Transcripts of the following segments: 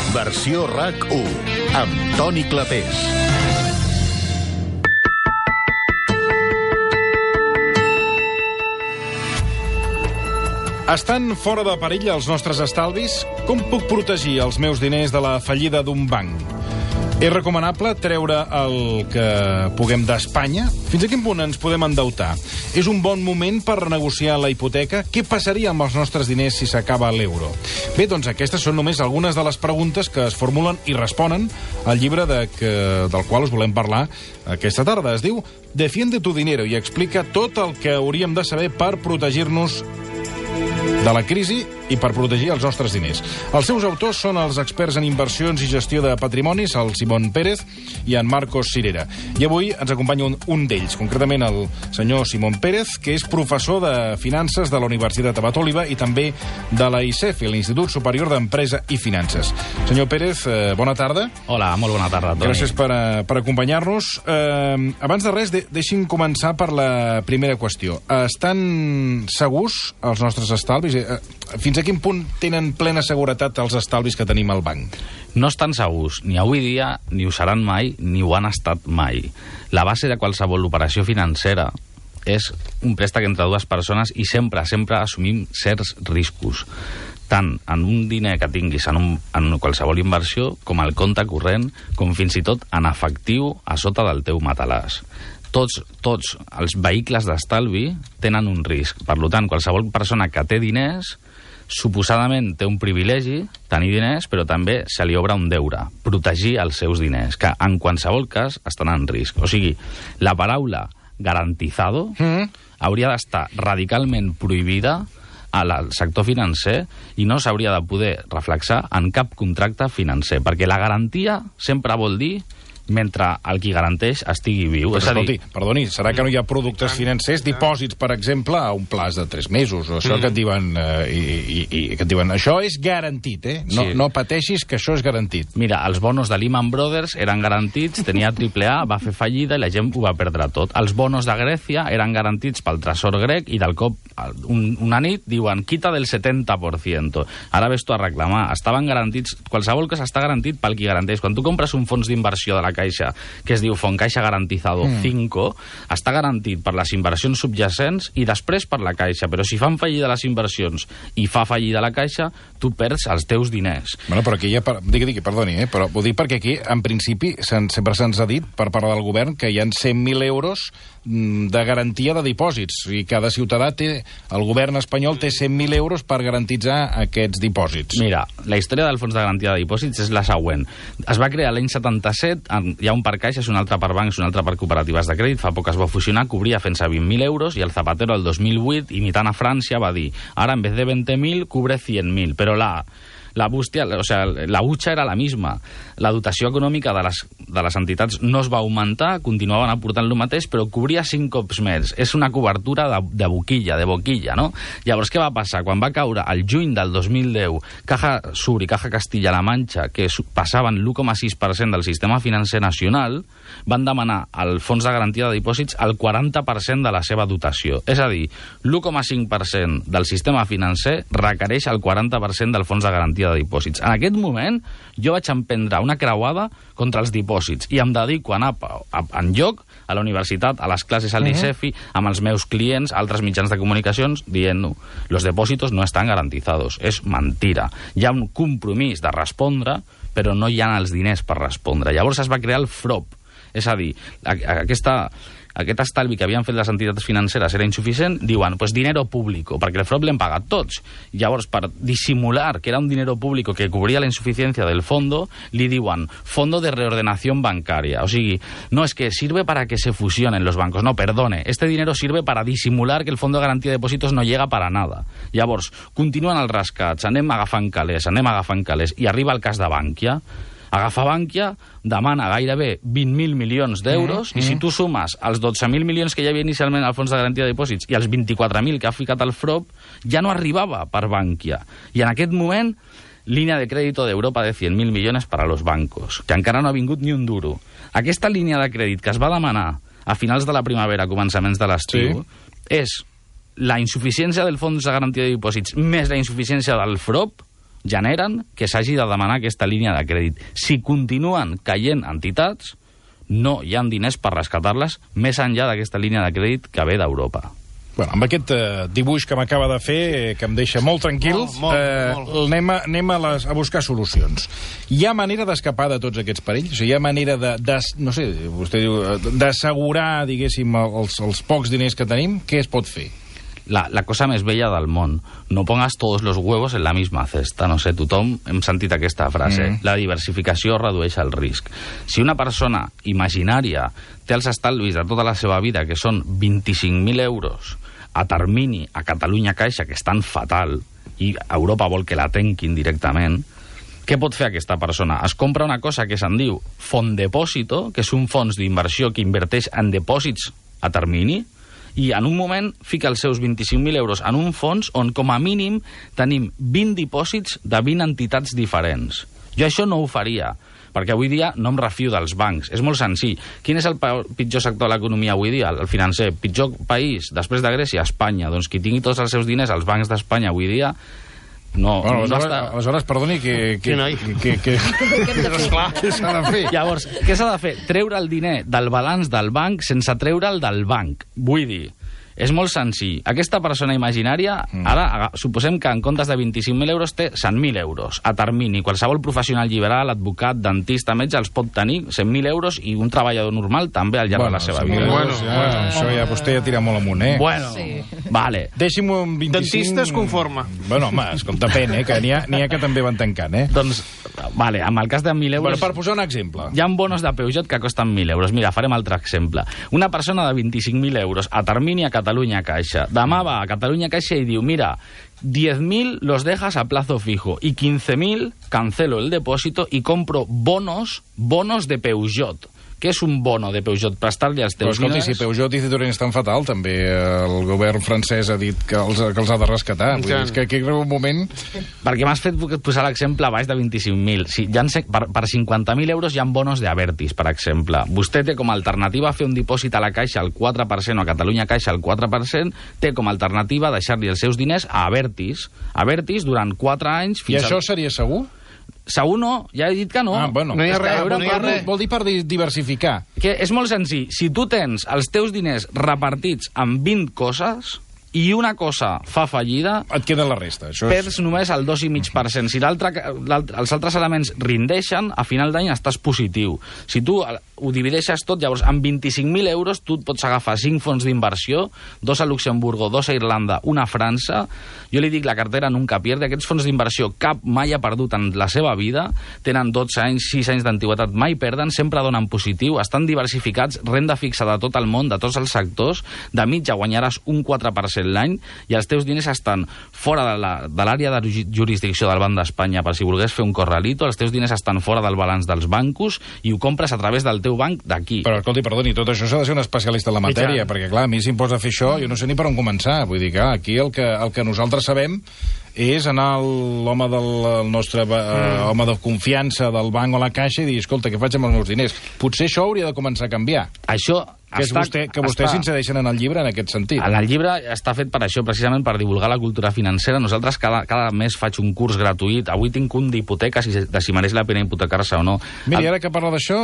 Versió RAC1, amb Toni Clapés. Estan fora de perill els nostres estalvis? Com puc protegir els meus diners de la fallida d'un banc? És recomanable treure el que puguem d'Espanya? Fins a quin punt ens podem endeutar? És un bon moment per renegociar la hipoteca? Què passaria amb els nostres diners si s'acaba l'euro? Bé, doncs aquestes són només algunes de les preguntes que es formulen i responen al llibre del qual us volem parlar aquesta tarda. Es diu Defiende tu dinero i explica tot el que hauríem de saber per protegir-nos de la crisi i per protegir els nostres diners. Els seus autors són els experts en inversions i gestió de patrimonis, el Simón Pérez i en Marcos Sirera. I avui ens acompanya un d'ells, concretament el senyor Simón Pérez, que és professor de finances de la Universitat Abat Oliba i també de la ICEFI, l'Institut Superior d'Empresa i Finances. Senyor Pérez, bona tarda. Hola, molt bona tarda, Toni. Gràcies per acompanyar-nos. Abans de res, deixi'm començar per la primera qüestió. Estan segurs els nostres estalvis? Fins a quin punt tenen plena seguretat els estalvis que tenim al banc? No estan segurs, ni avui dia, ni ho seran mai, ni ho han estat mai. La base de qualsevol operació financera és un préstec entre dues persones i sempre assumim certs riscos, tant en un diner que tinguis en qualsevol inversió, com al compte corrent, com fins i tot en efectiu a sota del teu matalàs. Tots els vehicles d'estalvi tenen un risc. Per tant, qualsevol persona que té diners, suposadament té un privilegi, tenir diners, però també se li obre un deure, protegir els seus diners, que en qualsevol cas estan en risc. O sigui, la paraula garantizado hauria d'estar radicalment prohibida al sector financer i no s'hauria de poder reflexar en cap contracte financer, perquè la garantia sempre vol dir mentre el qui garanteix estigui viu. Però, escolti, perdoni, serà que no hi ha productes financers, dipòsits, per exemple, a un plaç de 3 mesos, o això que et diuen, que et diuen, això és garantit, No pateixis que això és garantit. Mira, els bonos de Lehman Brothers eren garantits, tenia AAA, va fer fallida i la gent ho va perdre tot. Els bonos de Grècia eren garantits pel tresor grec i del cop, una nit, diuen, quita del 70%. Ara ves tu a reclamar. Estaven garantits, qualsevol cosa està garantit pel qui garanteix. Quan tu compres un fons d'inversió de la Caixa, que es diu Foncaixa Garantizado 5, està garantit per les inversions subjacents i després per la Caixa, però si fan fallida les inversions i fa fallida la Caixa, tu perds els teus diners. Bueno, però aquí digui, perdoni, però ho dic perquè aquí, en principi, sempre se'ns ha dit, per part del govern, que hi ha 100.000 euros de garantia de dipòsits, i cada ciutadà té, el govern espanyol té 100.000 euros per garantitzar aquests dipòsits. Mira, la història del fons de garantia de dipòsits és la següent. Es va crear l'any 77, hi ha un per caixes, un altre per bancs, un altre per cooperatives de crèdit, fa poc es va fusionar, cobria fins a 20.000 euros, i el Zapatero el 2008, imitant a França, va dir, ara en vez de 20.000, cubre 100.000, però la butxa era la misma. La dotació econòmica de les entitats no es va augmentar, continuaven aportant el mateix, però cobria 5 cops més. És una cobertura de boquilla, no? Llavors, què va passar? Quan va caure el juny del 2010 Caja Sur i Caja Castilla-La Manxa, que passaven l'1,6% del sistema financer nacional, van demanar al fons de garantia de dipòsits el 40% de la seva dotació. És a dir, l'1,5% del sistema financer requereix el 40% del fons de garantia de dipòsits. En aquest moment, jo vaig emprendre una creuada contra els dipòsits i em dedico a anar enlloc a la universitat, a les classes al ICEFI, amb els meus clients, altres mitjans de comunicacions, dient-no, los depósitos no estan garantizados. És mentira. Hi ha un compromís de respondre, però no hi ha els diners per respondre. Llavors es va crear el FROP. És a dir, aquest estalvi que havien fet les entitats financeres era insuficient, diuen, pues dinero público, perquè el FROP l'hem pagat tots. Llavors, per dissimular que era un dinero público que cubria la insuficiencia del fondo, li diuen Fondo de Reordenación Bancaria. O sigui, no es que sirve para que se fusionen los bancos. No, perdone, este dinero sirve para disimular que el Fondo de Garantía de Depósitos no llega para nada. Llavors, continuen els rescats, anem agafant calés, i arriba el cas de Bankia. Agafa Bankia, demana gairebé 20.000 milions d'euros, i si tu sumes els 12.000 milions que hi havia inicialment al fons de garantia de dipòsits i els 24.000 que ha ficat al FROP, ja no arribava per Bankia. I en aquest moment, línia de crèdit d'Europa de 100.000 milions per a los bancos, que encara no ha vingut ni un duro. Aquesta línia de crèdit que es va demanar a finals de la primavera, començaments de l'estiu, és la insuficiència del fons de garantia de dipòsits més la insuficiència del FROP, generen que s'hagi de demanar aquesta línia de crèdit. Si continuen caient entitats, no hi ha diners per rescatar-les més enllà d'aquesta línia de crèdit que ve d'Europa. Bueno, amb aquest dibuix que m'acaba de fer, que em deixa molt tranquil, anem a buscar solucions. Hi ha manera d'escapar de tots aquests perills? O sigui, hi ha manera no sé, vostè diu, d'assegurar, diguéssim, els pocs diners que tenim? Què es pot fer? La cosa més bella del món. No pongas todos los huevos en la misma cesta. No sé, tothom hem sentit aquesta frase. La diversificació redueix el risc. Si una persona imaginària té els estalvis de tota la seva vida, que són 25.000 euros, a termini a Catalunya Caixa, que estan fatal, i Europa vol que la tanquin directament, què pot fer aquesta persona? Es compra una cosa que se'n diu fond depòsito, que és un fons d'inversió que inverteix en depòsits a termini, i en un moment fica els seus 25.000 euros en un fons on, com a mínim, tenim 20 dipòsits de 20 entitats diferents. Jo això no ho faria, perquè avui dia no em refio dels bancs. És molt senzill. Quin és el pitjor sector de l'economia avui dia? El financer. Pitjor país, després de Grècia, Espanya. Doncs qui tingui tots els seus diners als bancs d'Espanya avui dia... Aleshores, perdoni, què s'ha de fer? Llavors, què s'ha de fer? Treure el diner del balanç del banc sense treure'l del banc. Vull dir, és molt senzill. Aquesta persona imaginària, ara, suposem que en comptes de 25.000 euros té 100.000 euros a termini. Qualsevol professional liberal, advocat, dentista, metge, els pot tenir 100.000 euros i un treballador normal també al llarg de la seva vida. Això ja vostè ja tira molt amunt, Bueno, vale. Deixi'm un 25... Dentista es conforma. Bueno, home, escolta, depèn, que n'hi ha que també van tancant, Doncs, vale, amb el cas de 1.000 euros... Bueno, per posar un exemple. Hi ha bonos de Peugeot que costen 1.000 euros. Mira, farem altre exemple. Una persona de 25.000 euros a termini a Catalunya Caixa. Demà va a Catalunya Caixa i diu, mira, 10.000 los dejas a plazo fijo y 15.000 cancelo el depósito y compro bonos de Peugeot. Què és un bono de Peugeot? Prestar-li els teus diners? Si Peugeot i Citroën estan fatal, també el govern francès ha dit que els ha de rescatar. Vull dir, és que aquí en un moment... Perquè m'has fet posar l'exemple a baix de 25.000. Si per 50.000 euros hi ha bonos d'Abertis, per exemple. Vostè té com a alternativa fer un dipòsit a la Caixa al 4% o a Catalunya Caixa al 4%, té com a alternativa deixar-li els seus diners a Abertis. Abertis durant 4 anys... I això seria segur? Segur no, ja he dit que no. Bueno, no hi ha res. Vol dir per diversificar. Que és molt senzill. Si tu tens els teus diners repartits en 20 coses i una cosa fa fallida... Et queda la resta. Perds només el 2,5%. Si els altres elements rindeixen, a final d'any estàs positiu. Si tu ho divideixes tot, llavors amb 25.000 euros tu et pots agafar 5 fons d'inversió, 2 a Luxemburgo, 2 a Irlanda, 1 a França. Jo li dic la cartera nunca pierde. Aquests fons d'inversió cap mai ha perdut en la seva vida. Tenen 12 anys, 6 anys d'antiguitat, mai perden, sempre donen positiu, estan diversificats, renda fixa de tot el món, de tots els sectors. De mitja guanyaràs un 4% l'any i els teus diners estan fora de l'àrea de jurisdicció del Banc d'Espanya per si volgués fer un corralito, els teus diners estan fora del balanç dels bancos i ho compres a través del teu banc d'aquí. Però escolti, perdoni, tot això s'ha de ser un especialista en la matèria, perquè clar, a mi si em posa a fer això, jo no sé ni per on començar. Vull dir que aquí el que nosaltres sabem és anar l'home del nostre home de confiança del banc o la caixa i dir, escolta, què faig amb els meus diners? Potser això hauria de començar a canviar. Això que vostès s'insereixen en el llibre en aquest sentit. En el llibre està fet per això, precisament per divulgar la cultura financera. Nosaltres cada mes faig un curs gratuït. Avui tinc un d'hipoteques, de si mereix la pena hipotecar-se o no. Miri, ara que parla d'això,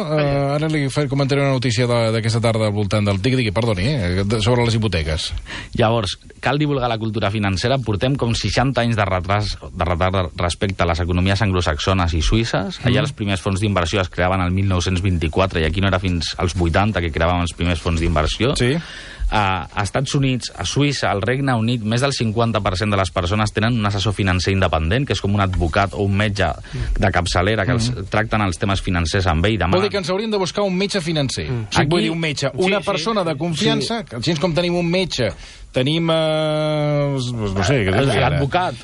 ara li comentaré una notícia d'aquesta tarda al voltant del TIC, sobre les hipoteques. Llavors, cal divulgar la cultura financera. Portem com 60 anys de retard respecte a les economies anglosaxones i suïsses. Allà els primers fons d'inversió es creaven el 1924 i aquí no era fins als 80 que creàvem els primers fons d'inversió. Sí. A Estats Units, a Suïssa, al Regne Unit, més del 50% de les persones tenen un assessor financer independent, que és com un advocat o un metge de capçalera que els tracten els temes financers amb ell. Vol dir que ens hauríem de buscar un metge financer. Vull dir, un metge, una persona de confiança, així com tenim un metge, tenim no sé, l'advocat,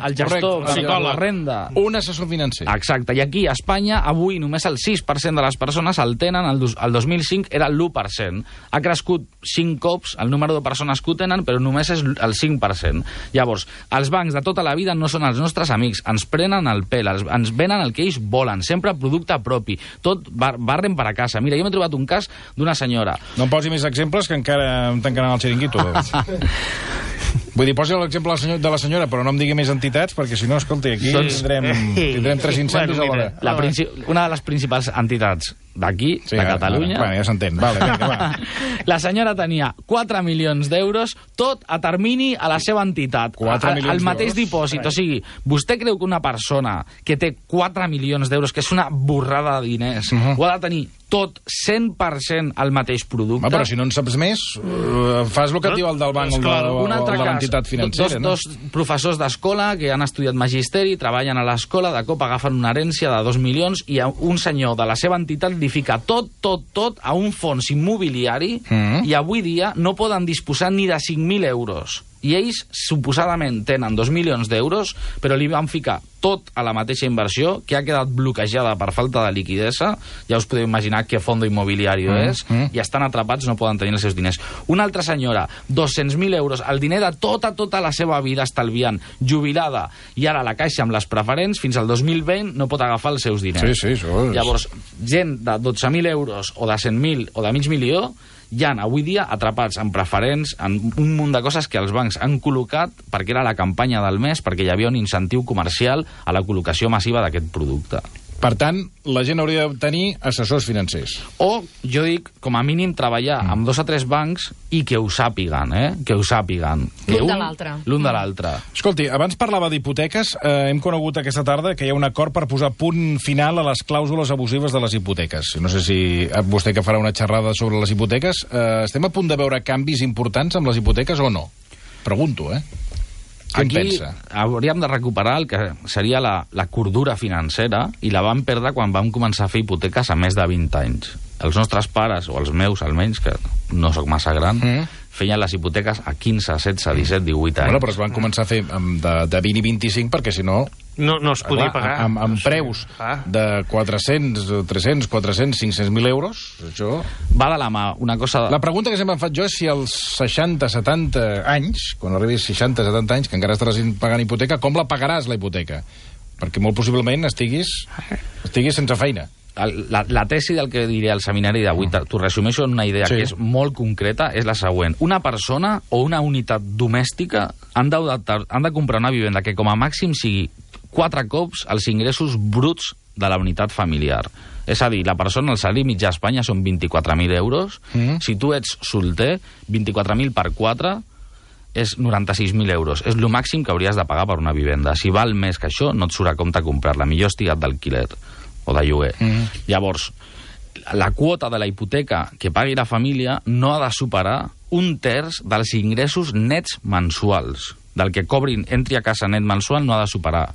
el gestor, la renda, un assessor financer. Exacte, i aquí a Espanya avui només el 6% de les persones el tenen. El 2005 era l'1%. Ha crescut 5 cops el número de persones que ho tenen, però només és el 5%. Llavors, els bancs de tota la vida no són els nostres amics, ens prenen el pèl, ens venen el que ells volen, sempre producte propi, tot barren per a casa. Mira, jo m'he trobat un cas d'una senyora. No em posi més exemples, que encara em tancaran el xiringuito. Vull dir, posi l'exemple de la senyora, però no em digui més entitats, perquè si no, escolti, aquí tindrem 3 incendis alhora. Una de les principals entitats d'aquí, de Catalunya... Bueno, ja s'entén. Vale, vinga, va. La senyora tenia 4 milions d'euros, tot a termini a la seva entitat. 4 milions el mateix d'euros? dipòsit. O sigui, vostè creu que una persona que té 4 milions d'euros, que és una borrada de diners, ho ha de tenir tot 100% al mateix producte? Però si no en saps més, fas el que et diu el del banc o de l'entitat financera, no? Dos professors d'escola que han estudiat magisteri, treballen a l'escola, de cop agafen una herència de 2 milions i un senyor de la seva entitat li fica tot a un fons immobiliari i avui dia no poden disposar ni de 5.000 euros. I ells, suposadament, tenen 2 milions d'euros, però li van ficar tot a la mateixa inversió, que ha quedat bloquejada per falta de liquidesa. Ja us podeu imaginar què fondo immobiliari és, i estan atrapats, no poden tenir els seus diners. Una altra senyora, 200.000 euros, el diner de tota la seva vida estalviant, jubilada, i ara la caixa amb les preferents, fins al 2020 no pot agafar els seus diners. Sí, això és... Llavors, gent de 12.000 euros, o de 100.000, o de mig milió, hi ha avui dia atrapats en preferents, en un munt de coses que els bancs han col·locat perquè era la campanya del mes, perquè hi havia un incentiu comercial a la col·locació massiva d'aquest producte. Per tant, la gent hauria de tenir assessors financers. O, jo dic, com a mínim, treballar amb 2 o 3 bancs i que ho sàpiguen, Que ho sàpiguen. L'un de l'altre. L'un de l'altre. Escolti, abans parlava d'hipoteques. Hem conegut aquesta tarda que hi ha un acord per posar punt final a les clàusules abusives de les hipoteques. No sé si vostè que farà una xerrada sobre les hipoteques. Estem a punt de veure canvis importants amb les hipoteques o no? Pregunto, Què en pensa? Hauríem de recuperar el que seria la cordura financera i la vam perdre quan vam començar a fer hipoteques a més de 20 anys. Els nostres pares, o els meus almenys, que no sóc massa gran, feien les hipoteques a 15, 16, 17, 18 anys. Bueno, però es van començar a fer de 20 i 25 perquè si no... No es podia pagar. Amb preus de 400, 300, 400, 500.000 euros, això... Va de la mà, una cosa... La pregunta que sempre em faig jo és si als 60, 70 anys, quan arribis 60, 70 anys, que encara estaràs pagant hipoteca, com la pagaràs, la hipoteca? Perquè molt possiblement estiguis sense feina. La tesi del que diré al seminari d'avui, t'ho resumeixo en una idea que és molt concreta, és la següent. Una persona o una unitat domèstica han de comprar una vivenda que com a màxim sigui 4 cops els ingressos bruts de la unitat familiar. És a dir, la persona, el salari mitjà a Espanya són 24.000 euros. Si tu ets solter, 24.000 per 4 és 96.000 euros. És el màxim que hauries de pagar per una vivenda. Si val més que això, no et surt a compte comprar-la. Millor estigat d'alquiler o de lloguer. Llavors, la quota de la hipoteca que pagui la família no ha de superar 1/3 dels ingressos nets mensuals. Del que cobrin, entri a casa net mensual, no ha de superar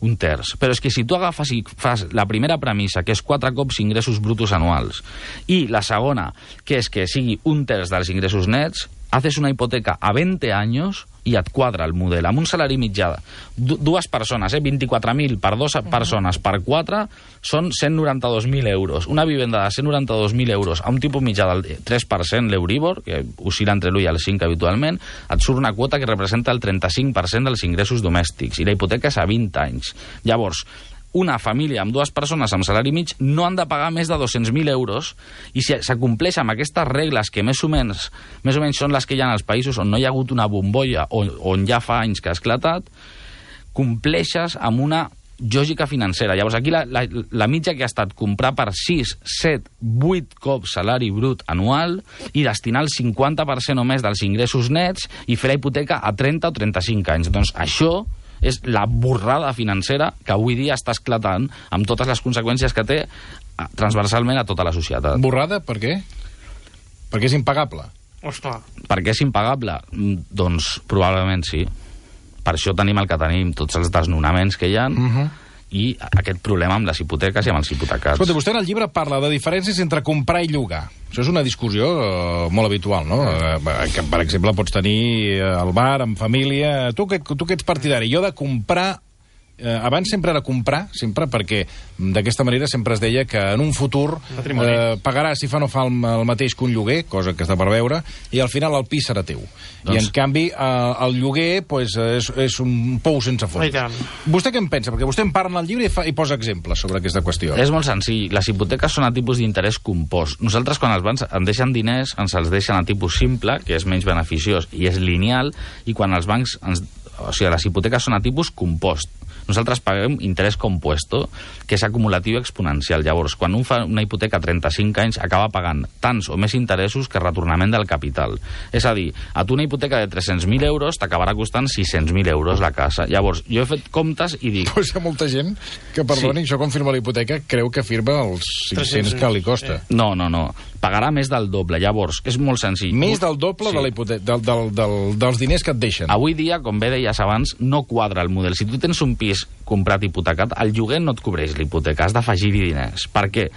1/3. Però és que si tu agafes i fas la primera premissa, que és 4 cops ingressos brutos anuals, i la segona, que és que sigui 1/3 dels ingressos nets, haces una hipoteca a 20 anys i et quadra el model. Amb un salari mitjà, dues persones, 24.000 per 2 persones per 4, són 192.000 euros. Una vivenda de 192.000 euros a un tipus mitjà del 3%, l'Euribor, que oscil·la entre l'1 i el 5 habitualment, et surt una quota que representa el 35% dels ingressos domèstics, i la hipoteca és a 20 anys. Llavors, una família amb 2 persones amb salari mig no han de pagar més de 200.000 euros, i si s'acompleix amb aquestes regles que més o menys són les que hi ha als països on no hi ha hagut una bombolla o on ja fa anys que ha esclatat, compleixes amb una lògica financera. Llavors aquí la mitja que ha estat comprar per 6, 7, 8 cops salari brut anual i destinar el 50% o més dels ingressos nets i fer la hipoteca a 30 o 35 anys. Doncs això és la borrada financera que avui dia està esclatant amb totes les conseqüències que té transversalment a tota la societat. Borrada per què? Perquè és impagable. Ostres. Per què és impagable? Doncs probablement sí. Per això tenim el que tenim, tots els desnonaments que hi ha, i aquest problema amb les hipoteques i amb els hipotecats. Escolta, vostè en el llibre parla de diferències entre comprar i llogar. Això és una discussió molt habitual, no? Que, per exemple, pots tenir al bar, amb família... Tu que ets partidari, jo de comprar abans sempre era comprar, sempre, perquè d'aquesta manera sempre es deia que en un futur pagarà, si fa no fa, el mateix que un lloguer, cosa que està per veure, i al final el pis serà teu. I en canvi el lloguer pues, és un pou sense fons. Vostè què en pensa? Perquè vostè en parla al llibre i posa exemples sobre aquesta qüestió. És molt senzill. Les hipoteques són a tipus d'interès compost. Nosaltres, quan els bancs ens deixen diners, ens els deixen a tipus simple, que és menys beneficiós, i és lineal, i quan els bancs o sigui, les hipoteques són a tipus compost. Nosaltres paguem interès compuesto, que és acumulatiu i exponencial. Llavors, quan un fa una hipoteca a 35 anys, acaba pagant tants o més interessos que retornament del capital. És a dir, a tu una hipoteca de 300.000 euros t'acabarà costant 600.000 euros la casa. Llavors, jo he fet comptes i dic... Pues hi ha molta gent que, perdoni, això quan firma la hipoteca creu que firma els 500 que li costa. No. Pagarà més del doble. Llavors, és molt senzill. Més del doble de la hipoteca, dels diners que et deixen. Avui dia, com bé deies abans, no quadra el model. Si tu tens un pis comprat hipotecat, el lloguer no et cobreix l'hipoteca, has d'afegir-hi diners. Perquè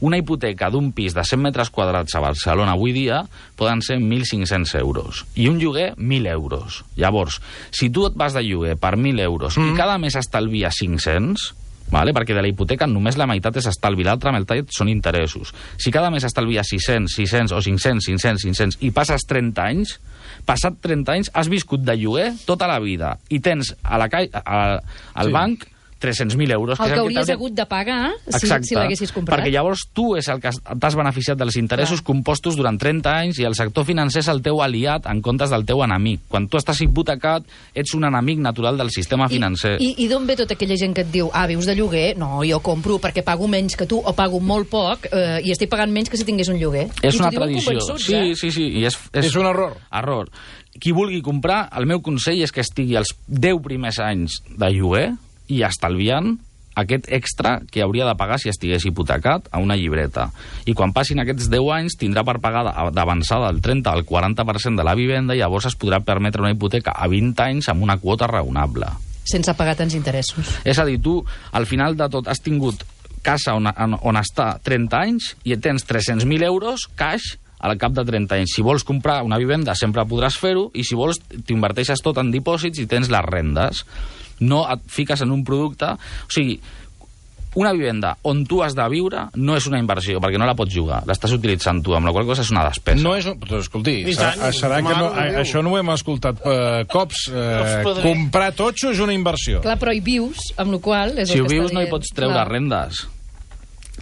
una hipoteca d'un pis de 100 metres quadrats a Barcelona avui dia poden ser 1.500 euros. I un lloguer, 1.000 euros. Llavors, si tu et vas de lloguer per 1.000 euros i cada mes estalvies 500... Vale? Perquè de la hipoteca només la meitat és estalvi, l'altra meitat són interessos. Si cada mes estalvies 600 o 500 i passes 30 anys, passat 30 anys has viscut de lloguer tota la vida i tens al banc 300.000 euros. El que hauries hagut de pagar si l'haguessis comprat. Perquè llavors tu és el que t'has beneficiat dels interessos compostos durant 30 anys i el sector financer és el teu aliat en comptes del teu enemic. Quan tu estàs hipotecat, ets un enemic natural del sistema financer. I d'on ve tota aquella gent que et diu vius de lloguer? No, jo compro perquè pago menys que tu o pago molt poc i estic pagant menys que si tingués un lloguer. És una tradició. Sí. I és un error. Error. Qui vulgui comprar, el meu consell és que estigui els 10 primers anys de lloguer i estalviant aquest extra que hauria de pagar si estigués hipotecat a una llibreta. I quan passin aquests 10 anys tindrà per pagar d'avançada el 30 al 40% de la vivenda i llavors es podrà permetre una hipoteca a 20 anys amb una quota raonable. Sense pagar tants interessos. És a dir, tu al final de tot has tingut casa on està 30 anys i tens 300.000 euros cash al cap de 30 anys. Si vols comprar una vivenda sempre podràs fer-ho i si vols t'inverteixes tot en dipòsits i tens les rendes. No et fiques en un producte... O sigui, una vivenda on tu has de viure no és una inversió, perquè no la pots jugar. L'estàs utilitzant tu, amb la qual cosa és una despesa. No és... Però, escolti, serà que no, això no ho hem escoltat cops. Comprar totxo és una inversió. Clar, però hi vius, amb la qual... Si ho vius no hi pots treure rendes.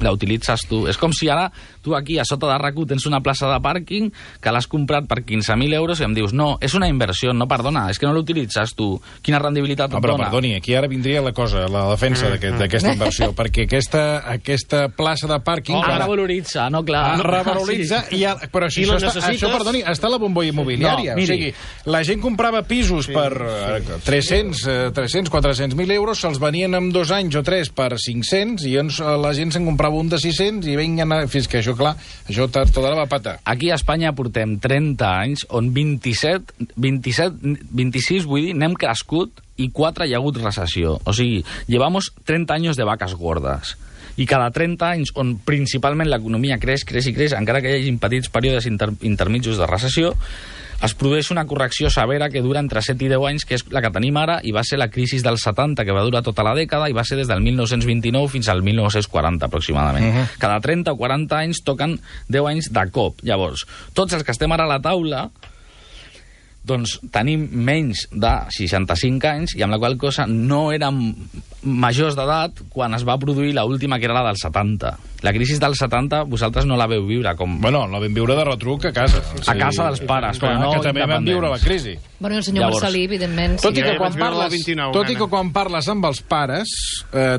La utilitzes tu. És com si ara tu aquí a sota de RAC1 tens una plaça de pàrquing que l'has comprat per 15.000 euros i em dius, no, és una inversió, no, perdona, és que no l'utilitzes tu. Quina rendibilitat et però dona? Perdoni, aquí ara vindria la cosa, la defensa d'aquesta inversió, perquè aquesta plaça de pàrquing... Revaloritza, no, clar. Revaloritza, però si això, perdoni, està a la bombolla immobiliària. O sigui, la gent comprava pisos per 300, 400.000 euros, se'ls venien en 2 anys o 3 per 500 i la gent se'n comprava un de 600 i fins que això, clar, això tot ara va patar. Aquí a Espanya portem 30 anys on 26, vull dir, n'hem crescut i 4 hi ha hagut recessió. O sigui, llevamos 30 anys de vaques gordes. I cada 30 anys, on principalment l'economia creix, encara que hi hagi petits períodes intermitjos de recessió, es produeix una correcció severa que dura entre 7 i 10 anys, que és la que tenim ara, i va ser la crisi del 70, que va durar tota la dècada, i va ser des del 1929 fins al 1940, aproximadament. Cada 30 o 40 anys toquen 10 anys de cop. Llavors, tots els que estem ara a la taula, doncs tenim menys de 65 anys, i amb la qual cosa no érem majors d'edat quan es va produir l'última, que era la del 70. La crisi del 70 vosaltres no la veu viure com... Bueno, la vam viure de retruc a casa. A casa dels pares, però no que també vam viure la crisi. Bueno, el senyor Marcelí, evidentment... Tot i que quan parles amb els pares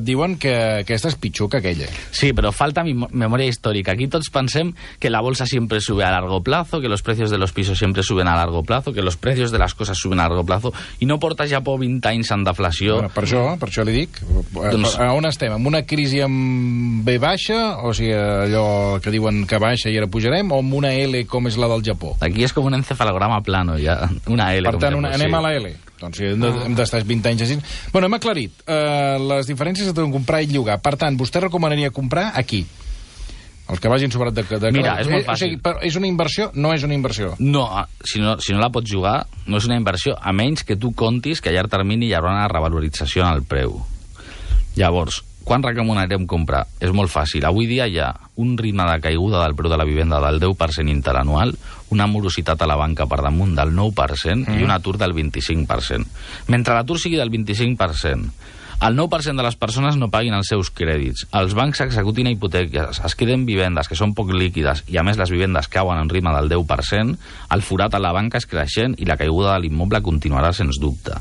diuen que aquesta és pitjor que aquella. Sí, però falta memòria històrica. Aquí tots pensem que la bolsa siempre sube a largo plazo, que los precios de los pisos siempre suben a largo plazo, que los precios de las cosas suben a largo plazo, i no porta Japó 20 anys en deflació. Bueno, per això li dic. Doncs... On estem? Amb una crisi amb B baixa, o sigui, allò que diuen que baixa i ara pujarem, o amb una L com és la del Japó? Aquí és com un encefalograma plano, ja. Una L. Per tant, anem a la L. Doncs hem d'estar 20 anys així. Bueno, hem aclarit les diferències entre comprar i llogar. Per tant, vostè recomanaria comprar aquí? Els que vagin sobrat de... Mira, és molt fàcil. O sigui, és una inversió? No és una inversió? No, si no la pots jugar, no és una inversió, a menys que tu contis que a llarg termini hi haurà una revalorització en el preu. Llavors, quan recomanarem comprar? És molt fàcil. Avui dia hi ha un ritme de caiguda del preu de la vivenda del 10% interanual, una morositat a la banca per damunt del 9% i un atur del 25%. Mentre l'atur sigui del 25%, el 9% de les persones no paguin els seus crèdits, els bancs executin hipoteques, es queden vivendes que són poc líquides i a més les vivendes cauen en ritme del 10%, el forat a la banca és creixent i la caiguda de l'immoble continuarà sens dubte.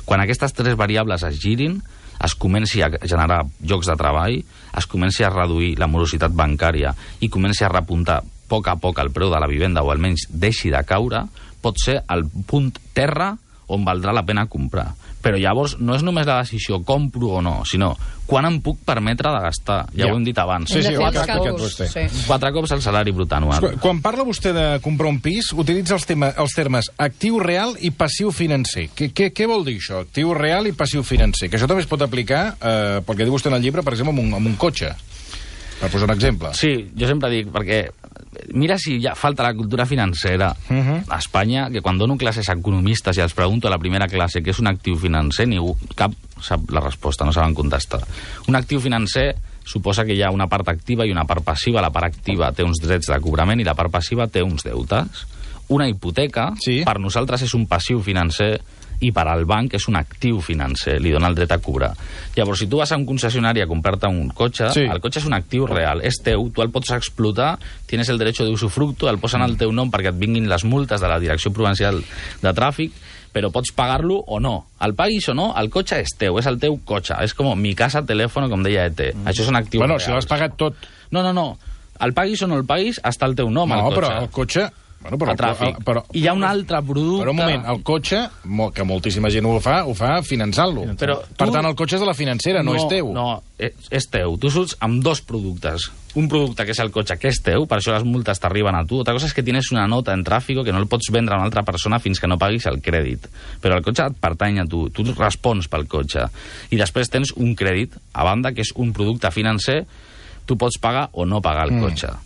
Quan aquestes tres variables es girin, es comenci a generar llocs de treball, es comenci a reduir la morositat bancària i comenci a repuntar a poc el preu de la vivenda o almenys deixi de caure, pot ser el punt terra on valdrà la pena comprar. Però llavors no és només la decisió compro o no, sinó quan em puc permetre de gastar. Ja ho hem dit abans. Sí, Hem ho de ha fer els explicat càlculs, vostè. sí. 4 cops el salari brut anual. Quan parla vostè de comprar un pis, utilitza els termes actiu real i passiu financer. Què vol dir això, actiu real i passiu financer? Que això també es pot aplicar, pel que diu vostè en el llibre, per exemple, amb un cotxe, per posar un exemple. Sí, jo sempre dic, perquè mira si ja falta la cultura financera a Espanya, que quan dono classes a economistes i els pregunto a la primera classe què és un actiu financer, ningú, cap sap la resposta, no saben contestar. Un actiu financer suposa que hi ha una part activa i una part passiva. La part activa té uns drets de cobrament i la part passiva té uns deutes. Una hipoteca, sí, per nosaltres és un passiu financer i per al banc és un actiu financer, li dona el dret a cobrar. Llavors, si tu vas a un concessionari a comprar-te un cotxe, sí, el cotxe és un actiu real, és teu, tu el pots explotar, tienes el derecho de usufructo, el posen al teu nom perquè et vinguin les multes de la Direcció Provincial de Tràfic, però pots pagar-lo o no. El paguis o no, el cotxe és teu, és el teu cotxe. És com mi casa, telèfon, com deia ET. Això és un actiu real. Bueno, si l'has pagat tot. No. El paguis o no el paguis, està el teu nom, el cotxe. No, però el cotxe... Bueno, però, a tràfic. I hi ha un altre producte... Però un moment, el cotxe, que moltíssima gent ho fa finançant-lo. Per tant, el cotxe és de la financera, no és teu. No, és teu. Tu surts amb dos productes. Un producte que és el cotxe, que és teu, per això les multes t'arriben a tu. Otra cosa és que tienes una nota en tràfic que no el pots vendre a una altra persona fins que no paguis el crèdit. Però el cotxe et pertany a tu. Tu respons pel cotxe. I després tens un crèdit, a banda, que és un producte financer. Tu pots pagar o no pagar el cotxe.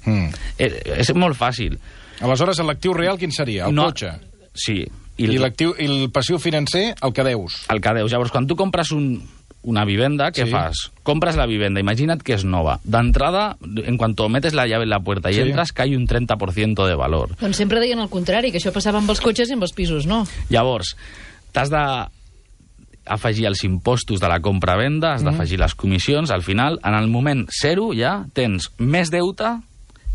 És molt fàcil. Aleshores, l'actiu real quin seria? El cotxe? Sí. I el passiu financer, el que deus? El que deus. Llavors, quan tu compres una vivenda, què fas? Compres la vivenda, imagina't que és nova. D'entrada, en cuanto metes la llave en la puerta i entres, cai un 30% de valor. Doncs sempre deien el contrari, que això passava amb els cotxes i amb els pisos, no? Llavors, t'has d'afegir els impostos de la compra-venda, has d'afegir les comissions, al final, en el moment zero ja tens més deute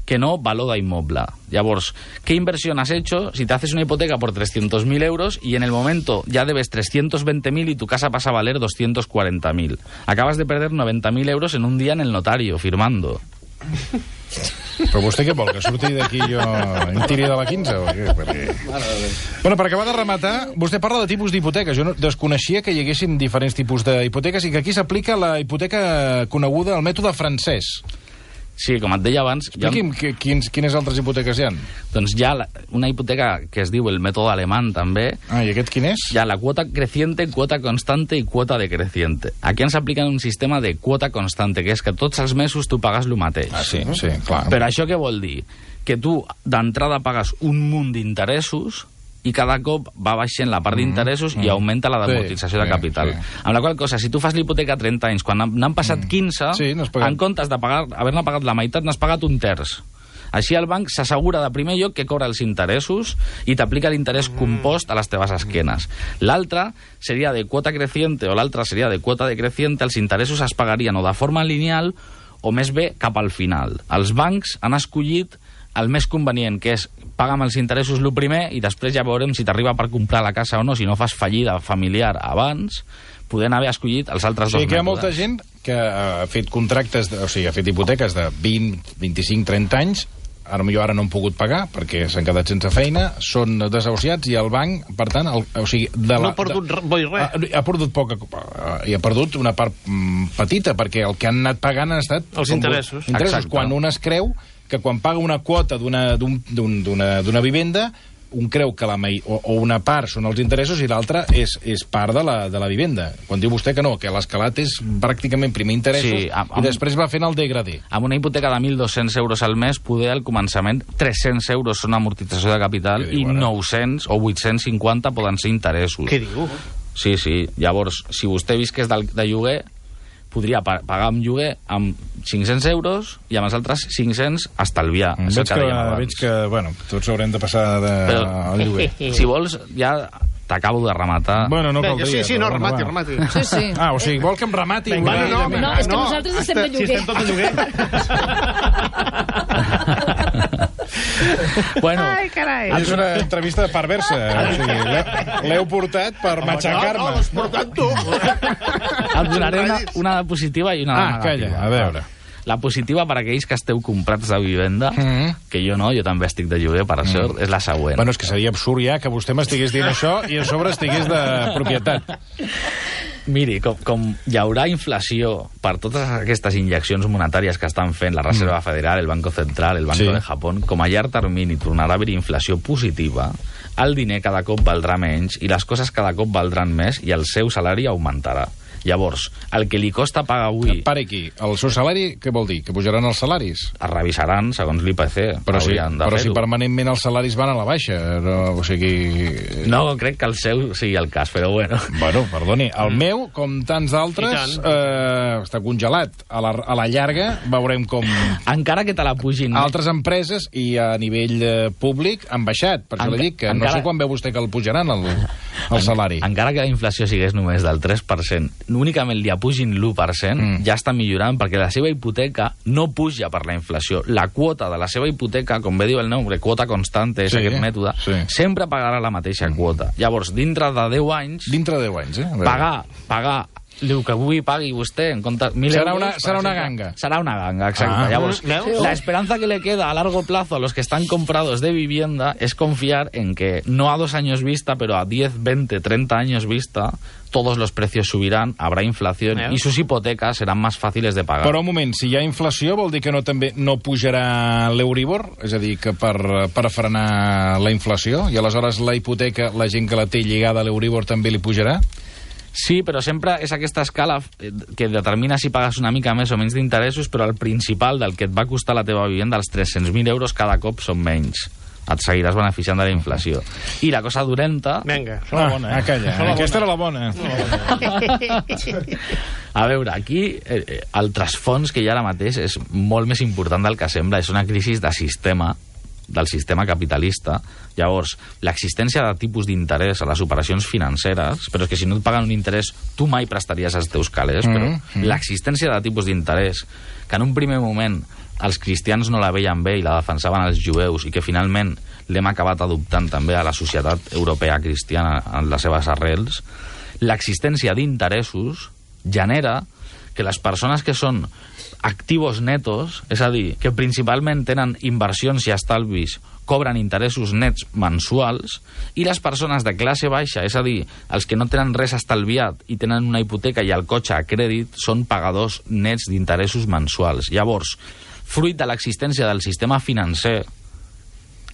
que no valor de inmueble. Llavors, ¿qué inversión has hecho si te haces una hipoteca por 300.000 euros y en el momento ya debes 320.000 y tu casa pasa a valer 240.000? Acabas de perder 90.000 euros en un día en el notario, firmando. Però vostè què vol, que surti d'aquí jo em tiri de la 15 o què? Perquè... Bueno, per acabar de rematar, vostè parla de tipus d'hipoteques. Jo desconeixia que hi haguessin diferents tipus d'hipoteques i que aquí s'aplica la hipoteca coneguda, el mètode francès. Sí, com et deia abans... Expliqui'm quines altres hipoteques hi ha. Doncs hi ha una hipoteca que es diu el mètode alemán, també. Ah, i aquest quin és? Hi ha la quota creciente, quota constante i quota decreciente. Aquí ens apliquen un sistema de quota constante, que és que tots els mesos tu pagues el mateix. Ah, sí, clar. Però això què vol dir? Que tu d'entrada pagues un munt d'interessos i cada cop va baixant la part d'interessos i augmenta la d'amortització de capital. Amb la qual cosa, si tu fas l'hipoteca a 30 anys, quan n'han passat 15, en comptes de haver-ne pagat la meitat, n'has pagat un terç. Així el banc s'assegura de primer lloc que cobra els interessos i t'aplica l'interès compost a les teves esquenes. L'altre seria de quota creciente o l'altre seria de quota decreciente, els interessos es pagarien o de forma lineal o més bé cap al final. Els bancs han escollit el més convenient, que és pagar amb els interessos el primer i després ja veurem si t'arriba per comprar la casa o no, si no fas fallida familiar abans, podent haver escollit els altres dos mètodes. Que hi ha molta gent que ha fet contractes, o sigui, ha fet hipoteques de 20, 25, 30 anys, ara no han pogut pagar perquè s'han quedat sense feina, són desahuciats i el banc, per tant, no ha perdut res. Ha perdut poca, i ha perdut una part petita, perquè el que han anat pagant han estat... Els interessos. Quan un es creu que quan paga una quota d'una vivenda, un creu que o una part són els interessos i l'altra és part de la vivenda. Quan diu vostè que no, que l'escalat és pràcticament primer interessos i després va fent el degradé. Amb una hipoteca de 1.200 euros al mes, poder al començament 300 euros són amortització de capital i 900 o 850 poden ser interessos. Què diu? Sí. Llavors, si vostè visqués de lloguer, podria pagar un lloguer amb 500 euros i amb els altres 500 estalviar. Veig que, bueno, tots haurem de passar al lloguer. Si vols, ja t'acabo de rematar. Bueno, no caldria. Sí, no, remati. Sí. Ah, o sigui, vol que em remati? No, és que nosaltres estem de lloguer. Si estem tot de lloguer. Bueno, Ai, carai. És una entrevista perversa. O sigui, l'heu portat per matxacar-me. No, l'has portat tu. et donaré una positiva i una negativa. Calla, a veure. La positiva per a aquells que esteu comprats de vivenda, que jo no, jo també estic de lloguer, per sort, és la següent. Bueno, és que seria absurd ja que vostè m'estigués dient això i a sobre estigués de propietat. Miri, com hi haurà inflació per totes aquestes injeccions monetàries que estan fent la Reserva Federal, el Banco Central, el Banco de Japón, com a llarg termini tornarà a haver inflació positiva, el diner cada cop valdrà menys i les coses cada cop valdran més i el seu salari augmentarà. Llavors, el que li costa pagar avui... Pare aquí, el seu salari, què vol dir? Que pujaran els salaris? Es revisaran, segons l'IPC. Però si permanentment els salaris van a la baixa, no, o sigui... No, crec que el seu sigui el cas, però bueno. Bueno, perdoni, el meu, com tants d'altres, està congelat. A la llarga veurem com... Encara que te la pugin... Altres empreses i a nivell públic han baixat. Per això li dic que no sé quan veu vostè que el pujaran, el salari. Encara que la inflació sigués només del 3%, únicament li apugin l'1%, ja està millorant perquè la seva hipoteca no puja per la inflació. La quota de la seva hipoteca, com bé diu el nombre, quota constante, és aquest mètode, sempre pagarà la mateixa quota. Llavors, dintre de 10 anys... Dintre de 10 anys, pagar el que avui pagui vostè en compte 1.000 euros... Serà una ganga. Serà una ganga, exacte. Llavors, la esperanza que le queda a largo plazo a los que están comprados de vivienda es confiar en que no a 2 años vista, pero a 10, 20, 30 años vista, todos los precios subirán, habrá inflación y sus hipotecas serán más fáciles de pagar. Però un moment, si hi ha inflació vol dir que no pujarà l'Euribor? És a dir, que per frenar la inflació? I aleshores la hipoteca, la gent que la té lligada a l'Euribor també li pujarà? Sí, però sempre és aquesta escala que determina si pagues una mica més o menys d'interessos, però el principal del que et va costar la teva vivenda, els 300.000 euros cada cop són menys. Et seguiràs beneficiant de la inflació. I la cosa dolenta... Vinga, això la bona. Calla, aquesta era la bona. A veure, aquí el trasfons que hi ha ara mateix és molt més important del que sembla. És una crisi de sistema, del sistema capitalista. Llavors, l'existència de tipus d'interès a les operacions financeres, però és que si no et paguen un interès, tu mai prestaries els teus calés, però l'existència de tipus d'interès, que en un primer moment els cristians no la veien bé i la defensaven els jueus i que finalment l'hem acabat adoptant també a la societat europea cristiana en les seves arrels, l'existència d'interessos genera que les persones que són activos netos, és a dir, que principalment tenen inversions i estalvis, cobren interessos nets mensuals, i les persones de classe baixa, és a dir, els que no tenen res estalviat i tenen una hipoteca i el cotxe a crèdit, són pagadors nets d'interessos mensuals. Llavors, fruit de l'existència del sistema financer,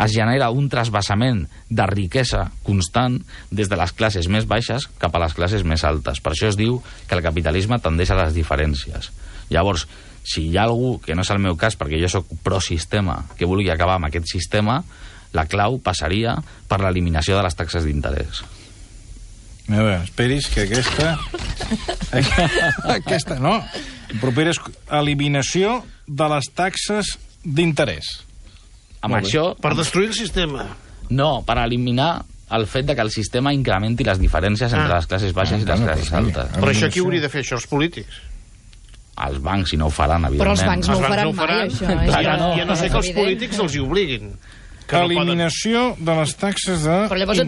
es genera un trasbassament de riquesa constant des de les classes més baixes cap a les classes més altes. Per això es diu que el capitalisme tendeix a les diferències. Llavors, si hi ha algú, que no és el meu cas perquè jo sóc pro-sistema, que vulgui acabar amb aquest sistema, la clau passaria per l'eliminació de les taxes d'interès. A veure, esperis que aquesta... aquesta no. Propera és eliminació de les taxes d'interès. Amb això... Per destruir el sistema. No, per eliminar el fet de que el sistema incrementi les diferències entre les classes baixes i les classes altes. Però això qui hauria de fer, això, els polítics? Els bancs, si no ho faran, evidentment. Però els bancs no ho faran mai, això. Ja no sé que els polítics els hi obliguin. Eliminació de les taxes d'interès. Però llavors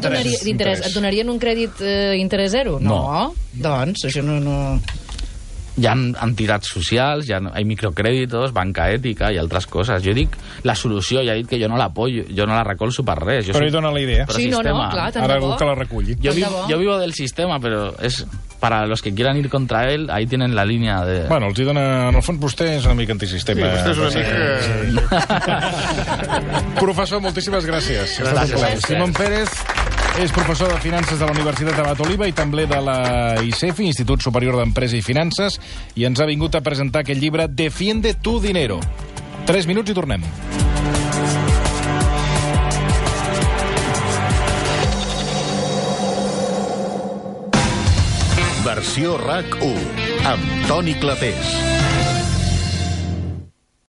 et donarien un crèdit interès zero? No. Doncs, això no... Hi ha entitats socials, hi ha microcrèditos, banca ètica i altres coses. Jo dic, la solució, ja he dit que jo no l'apoyo, jo no la recolzo per res. Però hi dona la idea. Sí, no, clar, tant de bo. Ara algú que la reculli. Yo vivo del sistema, pero es para los que quieran ir contra él, ahí tienen la línea de... Bueno, els hi dona... En el fons, vostè és una mica antisistema. Sí, vostè és una mica... Professor, moltíssimes gràcies. Gràcies. Simón Pérez és professor de Finances de la Universitat Abat Oliba i també de la ICEFI, Institut Superior d'Empresa i Finances, i ens ha vingut a presentar aquest llibre Defiende tu dinero. 3 minuts i tornem. Versió RAC 1. amb Toni Clapés.